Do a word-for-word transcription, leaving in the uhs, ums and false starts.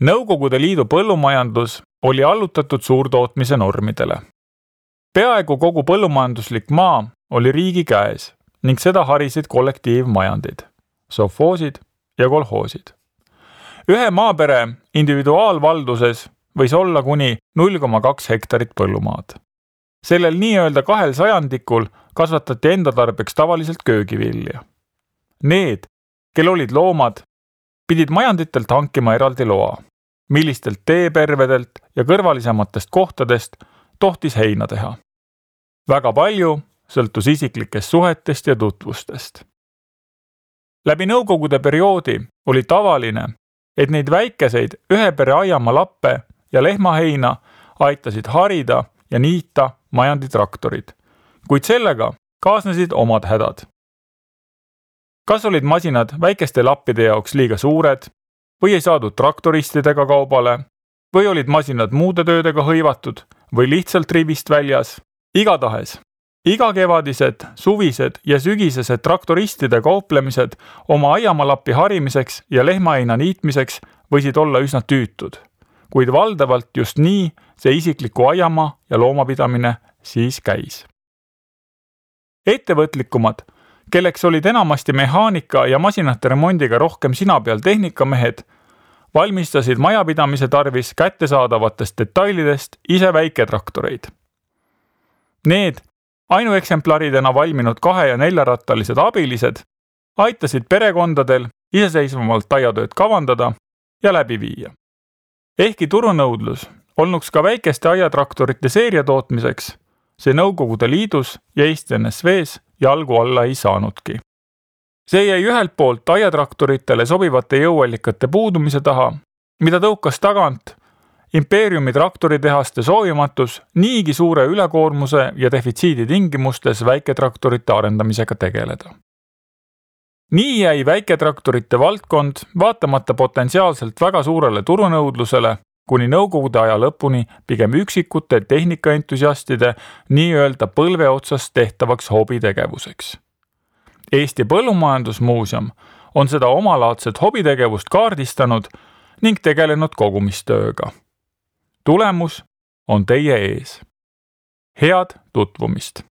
Nõukogude Liidu põllumajandus oli allutatud suurtootmise normidele. Peaaegu kogu põllumajanduslik maa oli riigi käes ning seda harisid kollektiivmajandid, sovhoosid ja kolhoosid. Ühe maapere individuaalvalduses võis olla kuni null koma kaks hektarit põllumaad. Sellel nii-öelda kahel sajandikul kasvatati enda tarbeks tavaliselt köögivilja. Need, kel olid loomad, pidid majanditelt hankima eraldi loa, millistelt teepervedelt ja kõrvalisematest kohtadest tohtis heina teha. Väga palju sõltus isiklikest suhetest ja tutvustest. Läbi nõukogude perioodi oli tavaline, et neid väikeseid ühe pere aiamaa lappe ja lehmaheina aitasid harida ja niita majanditraktorid, kuid sellega kaasnesid omad hädad. Kas olid masinad väikeste lappide jaoks liiga suured või ei saadud traktoristidega kaubale või olid masinad muude töödega hõivatud või lihtsalt rivist väljas? Igatahes, igakevadised, suvised ja sügisesed traktoristide kauplemised oma aiamalapi harimiseks ja lehmaheina niitmiseks võisid olla üsna tüütud, kuid valdavalt just nii see isikliku aiamaa ja loomapidamine siis käis. Ettevõtlikumad, kelleks olid enamasti mehaanika ja masinate remondiga rohkem sina peal tehnikamehed, valmistasid majapidamise tarvis kättesaadavatest detailidest ise väiketraktoreid. Need ainueksemplaridena valminud kahe- ja neljarattalised abilised aitasid perekondadel iseseisvamalt aiatööd kavandada ja läbi viia. Ehkki turunõudlus olnuks ka väikeste aiatraktorite seeria tootmiseks, see Nõukogude Liidus ja Eesti N S V's jalgu alla ei saanudki. See jäi ühelt poolt aiatraktoritele sobivate jõuallikate puudumise taha, mida tõukas tagant impeeriumi traktoritehaste soovimatus niigi suure ülekoormuse ja defitsiidi tingimustes väiketraktorite arendamisega tegeleda. Nii jäi väiketraktorite valdkond vaatamata potentsiaalselt väga suurele turunõudlusele kuni nõukogude aja lõpuni pigem üksikute tehnikaentusiastide nii-öelda põlve otsast tehtavaks hobitegevuseks. Eesti Põllumajandusmuuseum on seda omalaadset hobitegevust kaardistanud ning tegelenud kogumistööga. Tulemus on teie ees. Head tutvumist!